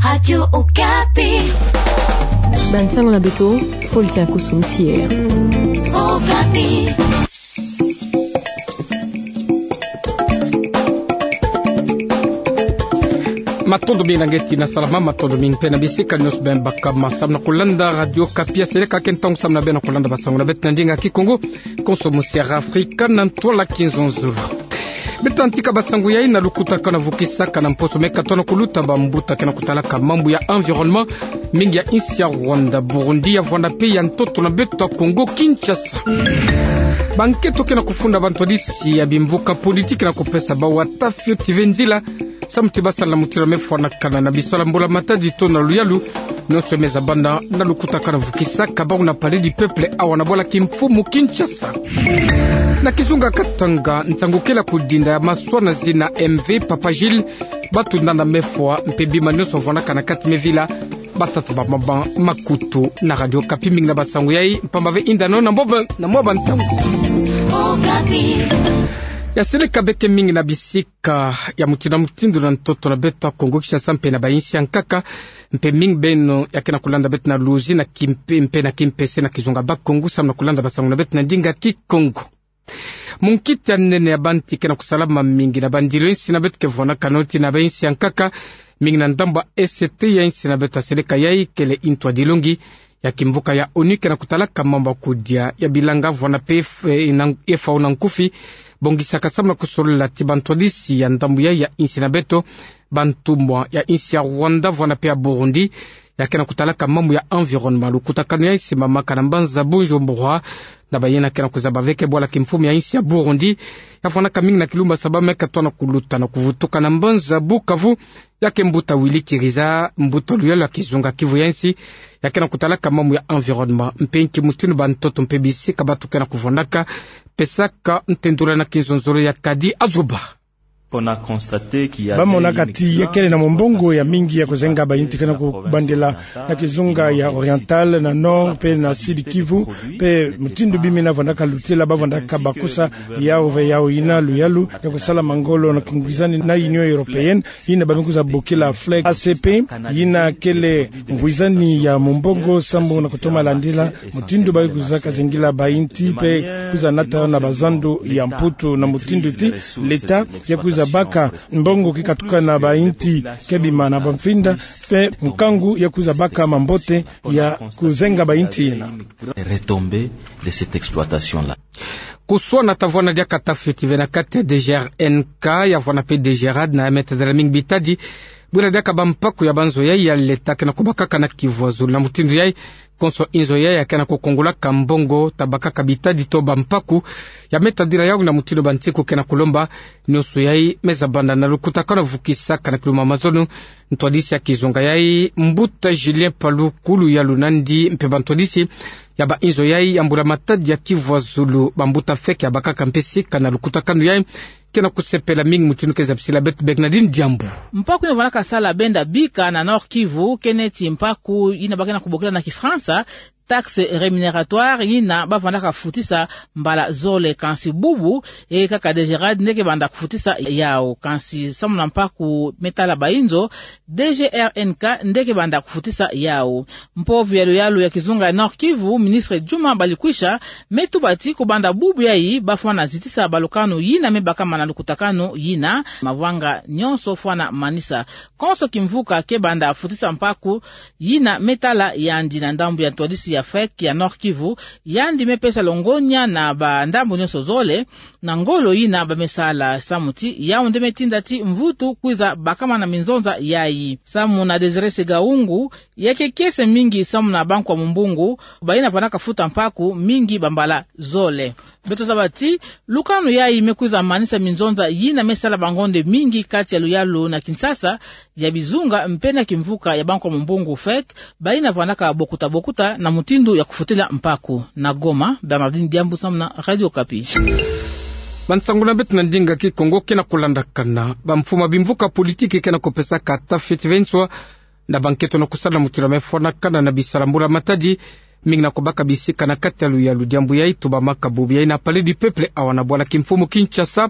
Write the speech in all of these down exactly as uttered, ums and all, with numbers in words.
Radio Okapi. Bansango na beto, Paul Takusu Msier. Okapi. Matondo mingi na ngeti na salama, matondo mingi mpe na bisika nyonso beno baka ma samu na kulanda Radio Okapi. Seleka ke ntangu samu na beno kulanda bansango na beto na ndinga Kikongo, konso mu Sierra Africa na ntwala Kinzonzolo. Beto tantika bansango yai na lukutakanu vukisaka na mposo meka tona kuluta bambuta ke na kutalaka mambu ya environnement, mingi ya insi ya Rwanda, Burundi, ya vwanda mpe ya ntoto na beto ya Congo Kinshasa. Bankento ke na kufunda bantwadisi ya bimvuka politiki na kupesa bawu ata fioti ve nzila samu ti basala na mutindu mefwanakana na bisalu ya mbula matadi to na luyalu, nyonso me zabanda na lukutakanu vukisaka bawu na Palais du Peuple awa na bwala kimfumu Kinshasa. Na kizunga Katanga, nsangu kele ya kudinda ya maswa na zina M V Papa Gilles, batunda na mefwa mpe bima nyonso vwanaka na kati mevila, batata bamama makutu na Radio Okapi. Mingi na bansango yai, mpamba ve yinda nao na mwa ba, na mwa bansango. Okapi. Ya seleka beke mingi na bisika ya mutindu na mutindu na ntoto na beto ya Congo Kinshasa mpe na bayinsi ya nkaka, mpe mingi beno ya ke na kulanda beto na luzi na kimpe, mpe na kimpese na kizunga Bakongo samu na kulanda bansango na beto na ndinga Kikongo. Munkita nene ya bantu ke na kusalama mingi na bandilu ya insi na beto ke vwanaka noti na bayinsi ya nkaka, mingi na ndambu ya Est ya insi na beto ya seleka yai kele ntu ya dilongi ya kimvuka ya ONU ke na kutalaka mambu ya kudia ya bilanga vwanda mpe F-, eh, na, F A O na nkufi, bongisaka samu na kusolola ti bantwadisi ya ndambu yai ya insi na beto, bantumwa ya insi ya Rwanda vwanda mpe ya Burundi, ya ke na kutalaka mambu ya environnement. Lukutakanu yai simamaka na mbanza Bujumbura, na bayina ke na kuzaba ve ke bwala kimfumu ya insi ya Burundi, ya vwanaka mingi na kilumbu saba meka tona kuluta na kuvutuka na mbanza Bukavu, ya ke mbuta Willy Kiriza, mbuta luyalu ya kizunga Kivu ya insi, ya ke na kutalaka mambu ya environnement, mpe nki mutindu bantoto mpe bisika batu ke na kuvwandaka, pesaka ntendula na Kinzonzolo ya Kadi Azuba. Bamonaka ti ya kele na mumbongo ya mingi ya kuzenga bayinti ke na kubandela na kizunga ya Oriental, na Nord mpe na Sud Kivu, mpe mutindu bima yina vwandaka lutila, bavwandaka bakusa yawu ve yawu yina luyalu ya kusala mangolo na kingwizani na Union Européenne, yina ba me kwiza bokila FLEGT, A C P, yina kele ngwizani ya mumbongo samu na kutoma landila mutindu ba kwizaka zengila bayinti mpe kwiza nata na bazandu ya Mputu, na mutindu ti l'État ya kwiza baka mbongo ke katuka na bayinti ke bima na bamfinda, mpe nkangu ya kwiza baka mambote ya kuzenga bayinti yina. Retombées de cette exploitation-là. Kuswana ta vwanda diaka ta fioti ve na kati ya D G R N K, ya vwanda mpe D G RAD na ya me tadila mingi bitadi, bwira diaka bampaku ya banzo yai ya l'État ke na kubakaka na Kivu ya zulu. Na mutindu yai, konso inzo yai ya ke na kukongolaka mbongo ta bakaka bitadi to bampaku, ya me tadila yawu na mutindu bantiku ke na kulomba. Nyonso yai me zabanda na lukutakanu vukisaka na kilumbu ya mazono, ntwadisi ya kizunga yai, mbuta Julien Paluku, luyalu nandi mpe bantwadisi ya bainzo yai ya mbula matadi ya Kivu ya zulu, bambuta FEC ya bakaka mpe sika na lukutakanu yai, ke na kusepela mingi mutindu ke zabisila beto Bernardine Diambu. Mpaku yina vwandaka sala benda bika na Nord-Kivu, ke neti mpaku yina ba ke na kubokila na Kifalansa taxe rémunératoire, yina ba vwandaka futisa mbala zole, kansi bubu, e kaka D G RAD nde ke banda kufutisa yawu. Kansi samu na mpaku me tala bainzo, D G R N K nde ke banda kufutisa yawu. Mpovi ya luyalu ya kizunga ya Nord-Kivu, ministre Djuma Balikwisha, me tuba ti kubanda bubu yai ba fwana zitisa balukanu yina me bakama na lukutakanu yina, mavanga nyonso fwana manisa. Konso kimvuka ke banda futisa mpaku yina me tala yandi na ndambu ya ntwadisi ya FEC ya Nord-Kivu, yandi me pesa longonya na bandambu nyonso zole, na ngolo yina ba me sala, samu ti yawu nde me tinda ti mvutu kwiza bakama na minzonza yai. Samu na Désiré Segahungu, ya ke kiese mingi samu na bankwa mumbongo, bayina vwandaka futa mpaku mingi bambala zole. Beto zaba ti lukanu yai me kwiza manisa minzonza yina me sala bangonde mingi kati ya luyalu na Kinshasa, ya bizunga mpe na kimvuka ya bankwa mumbongo FEC, bayina vwandaka bokuta bokuta na mutindu ya kufutila mpaku. Na Goma, Bernardine Diambu samu na Radio Okapi. Bansangu na beto na ndinga Kikongo ke na kulandakana. Bamfumu ya bimvuka politiki ke na kupesaka ta fioti ve nswa na bankento na kusala mutindu me fwanakana na bisalu ya mbula matadi, mingi na kubaka bisika na kati ya luyalu. Diambu yai tubamaka bubu yai na Palais du Peuple awa na bwala kimfumu Kinshasa,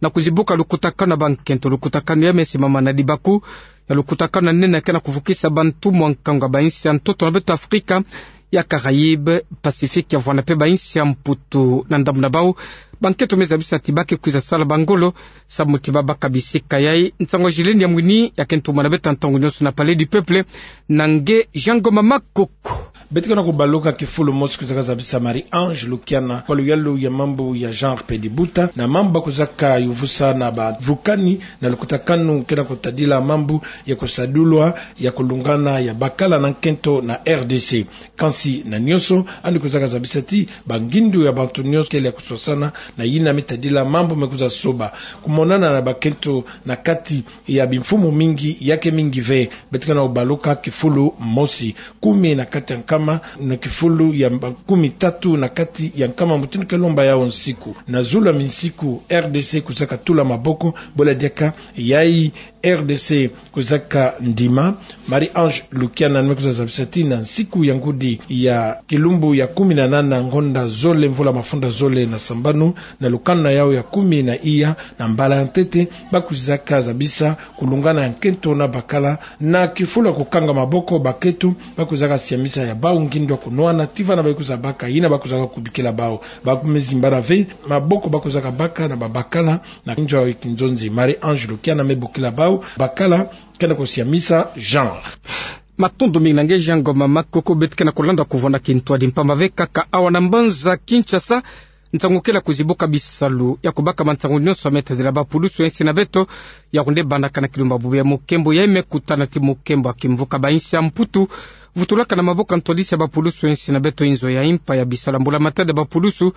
na kuzibuka lukutakanu ya bankento. Lukutakanu yai me simama na dibaku ya lukutakanu na nene ke na kuvukisa bantu mwa nkangu ya bainsi ya ntoto na beto Afrika ya Caraïbes, Pacifique, ya vwanda mpe bainsi ya Mputu. Na ndambu na bau, bankento me zabisa ti ba ke kwiza sala bangolo, samu ti ba baka bisika yai. Nsangu ya Gilles Niamwini ya ke ntumwa na beto ntangu nyonso na Palais du Peuple, na nge Jean Ngoma Makoko. Beto ke na kubaluka kifulu mosi kwizaka zabisa Marie-Ange Lukiana kwa luyalu ya mambu ya genre mpe dibuta, na mambu ba kwizaka yuvusa na bavukani, na lukutakanu ke na kutadila mambu ya kusadulwa ya kulungana ya bakala na nkento na R D C. Kansi na nyonso, yandi kwizaka zabisa ti bangindu ya bantu nyonso kele ya kuswasana na yina me tadila mambu me kwiza soba. Kumonana na bakento na kati ya bimfumu mingi, ya ke mingi ve. Beto ke na kubaluka kifulu mosi, kumi na kati ya nkama, na kifulu ya mba-, kumi tatu na kati ya nkama, mutindu ke lomba yau nsiku. Na zulu ya minsiku, R D C kwizaka tula maboko, bwela diaka yai R D C kwizaka ndima. Marie-Ange Lukiana ni me kwiza zabisa ti na nsiku ya ngudi ya kilumbu ya kumi na nana, ngonda zole, mvula mafunda zole na sambanu, na lukanu na yau ya kumi na iya, na mbala ya ntete, ba kwizaka zabisa kulungana ya nkento na bakala, na kifulu ya kukanga maboko, bakento ba kwizaka siamisa ya bau ngindu ya kunwana, ti vana ba kwiza baka, yina ba kwizaka kubikila bau. Ba kume zimbana ve maboko ba kwizaka baka na babakala, na nzo ya kinzonzi. Marie-Ange Lukiana me bokila bau, bakala ke na kusiamisa genre. Matondo mingi na nge Jean Ngoma Makoko. Beto ke na kulanda kuvwanda kintwadi mpamba ve kaka awa na mbanza Kinshasa, nsangu kele ya kuzibuka bisalu ya kubaka mansangu nyonso me tadila bapulusu ya insi na beto, ya kunde bandaka na kilumbu ya bubu ya mokembo, yai me kutana ti mokembo ya kimvuka bainsi ya Mputu vutulaka na maboko ya ntwadisi ya bapulusu ya insi na beto. Inzo ya impa ya bisalu ya mbula-matadi ya bapulusu,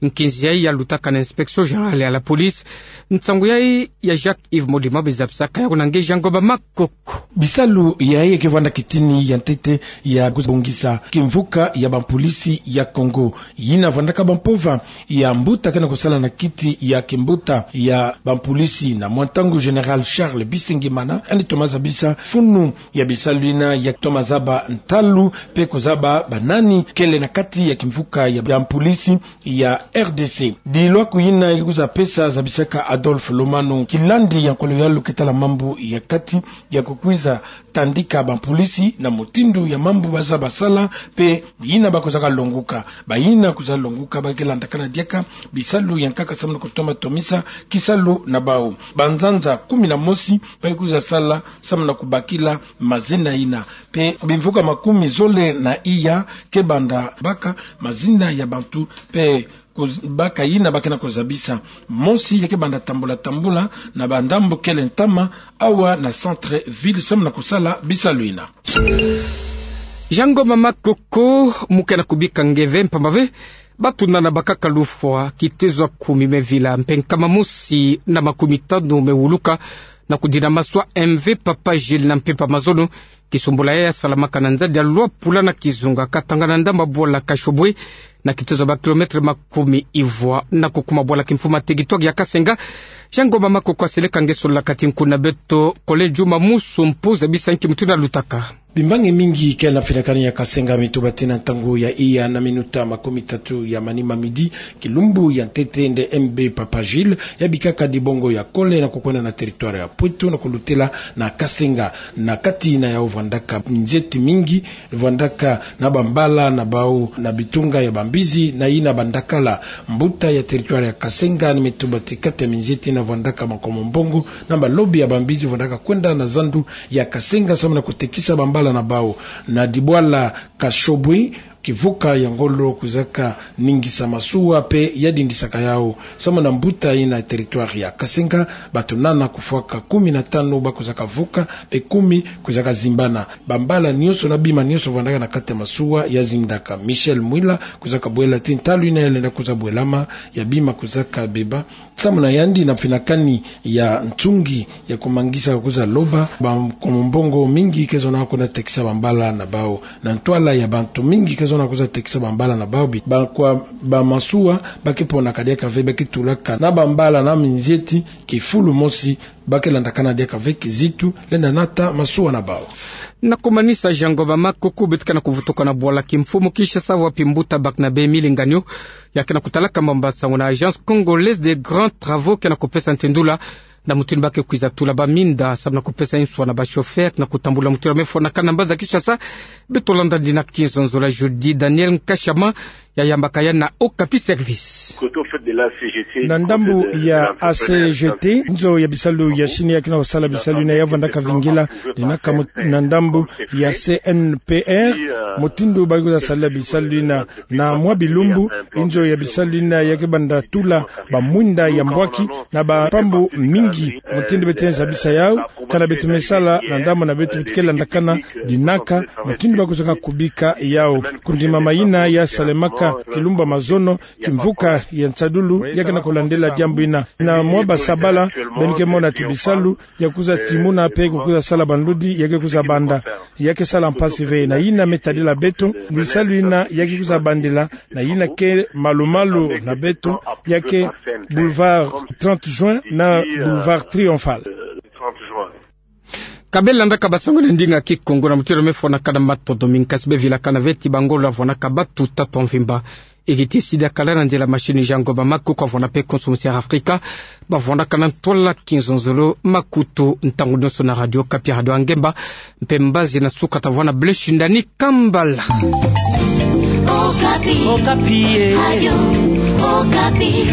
nkinzi yai ya lutaka na Inspection Générale ya la Police. Nsangu yai ya Jacques Yves Modima, be zabisaka yau na nge Jean Ngoma Makoko. Bisalu yai ke vwanda kitini ya ntete ya kubongisa kimvuka ya bapulusu ya Kongo. Yina vwandaka bampova ya mbuta ke na kusala na kiti ya kimbuta ya bapulusu na mwa ntangu, Général Charles Bisengimana, yandi toma zabisa funu ya bisalu yina, ya toma zaba ntalu mpe kuzaba banani kele na kati ya kimvuka ya bapulusu ya R D C. Dilwaku yina ke kwiza pesa, zabisaka Adolphe Lomano, kilandi ya nkolo ya luyalu ke tala mambu ya kati, ya kukwiza tandika bapulusu na mutindu ya mambu ba za basala, mpe yina ba kwizaka longuka. Bayina kwiza longuka ba ke landakana diaka bisalu ya nkaka samu na kutoma tomisa kisalu na bau. Banzanza kumi na mosi ba ke kwiza sala samu na kubakila mazina yina. Mpe bimvuka makumi zole na iya ke banda baka mazina ya bantu, mpe kuz-, baka yina ba ke na kuzabisa. Mosi ya ke banda tambula tambula na bandambu kele ntama awa na centre-ville samu na kusala bisalu yina. Jean Ngoma Makoko, mu ke na kubika nge ve mpamba ve, bato nana bakaka lufwa, kitezo ya kumi me vila, mpe nkama mosi na makumi tanu me wuluka, na kudina maswa M V Papa Gilles na mpimpa mazono, kisumbula yai ya salamaka na nzadi ya Luapula na Kizunga, Katanga na ndambu ya bwala Kashobwe, na kitezo ya ba kilomètre makumi ivwa na kukuma bwala kimfumu ya territoire ya Kasenga. Jean Ngoma Makoko, seleka nge solola kati nku na beto, Collègue Juma Musu, mpuza bisa nki mutu na lutaka. Bimbangi mingi kele na mfinakani ya Kasenga, mituba tii na ntangu ya iya na minuta makumi tatu ya manima, midi, kilumbu ya ntete, nde M V Papa Gilles ya bikaka dibongo ya kole na kukwenda na territoire ya Pweto na kulutela na Kasenga. Na kati na yau vwandaka minzeti mingi, vwandaka na bambala na bau na bitunga ya bambizi na yina bandakala. Mbuta ya territoire ya Kasenga ni me tuba ti kati ya minzeti yina vwandaka makomo mbongo na balobi ya bambizi vwandaka kwenda na zandu ya Kasenga samu na kutekisa bambala na bau. Na dibwala Kashobwe, kivuka ya ngolo kwizaka ningisa masuwa mpe ya dindisaka yau. Samu na mbuta yina territoire ya Kasenga, bato nana kufwaka kumi na tanu ba kwizaka vuka, mpe kumi kwizaka zimbana. Bambala nyonso na bima nyonso vwandaka na kati ya masuwa ya zindaka. Michel Mwila kwizaka bwela ti ntalu yina ya lenda kwiza bwelama, ya bima kwizaka beba. Samu na yandi, na mfinakani ya nsungi ya kumangisa kwiza loba, ba makomo mbongo mingi ke zonaka kwenda tekisa bambala na bau. Na ntwala ya bantu mingi ke zonaka kwiza tekisa bambala na bau, bi-, ba kwa bamasuwa ba ke ponaka diaka ve, ba ke tulaka na bambala na minzeti kifulu mosi, ba ke landakana diaka ve kizitu lenda nata masuwa na bau. Na kumanisa, Jean Ngoma Makoko, beto ke na kuvutuka na bwala kimfumu Kinshasa, wapi mbuta Barnabé Milinganyo ya ke na kutalaka mambu ya nsangu na Agence Congolaise des Grands Travaux ke na kupesa ntindula Na mutindu ba ke kwiza tula ba minda, samu na kupesa nswa na ba chauffeur na kutambula mutindu me fwanakana mbanza Kinshasa. Beto landa dina kinzonzolo ya jeudi. Daniel Nkashama yayambaka ya na Okapi Service. Na ndambu ya A C G T, nzo ya bisalu ya Chine ya ke na kusala bisalu yina ya vanda kavingila, dinaka mu-, na ndambu ya C N P R, mutindu ba ke kwiza sala bisalu yina, na mwa bilumbu, nzo ya bisalu yina ya ke banda tula ba mwinda ya mbwaki na ba mpambu mingi, mutindu beto zabisa yau, kana beto me sala na ndambu na beto beto ke landakana, dinaka mutindu ba ke kwizaka kubika yau. Kundimama yina ya salemaka kilumbu ya mazono, kimvuka ya nsadulu, ya ke na kulandila diambu yina. Na mwa ba sabala, beno ke mona ti bisalu ya kwiza timuna pe ku kwiza sala banludi ya ke kwiza banda. Ya ke sala mpasi ve, na yina me tadila beto, bisalu yina ya ke kwiza bandila, na yina ke malu-malu na beto, ya ke boulevard trente juin na boulevard triomphal. Ka beno landaka ba sango na ndinga Kikongo na mutindu me fwanakana matondo mingi, kasi bevilakana ve ti ba ngolo ya vwanaka batu tatu mvimba. Ekiti sidi akala na nzila machine Jean Goba Maku, kwa vwana pe konso musi ya Afrika, ba vwanakana ntwala kinzonzolo makutu ntangu nyonso na Radio Okapi, radio ya ngemba, mpe mbazi na suka ta vwana Blaise Shindani Kambala. Okapi. Okapi, eh. Radio Okapi.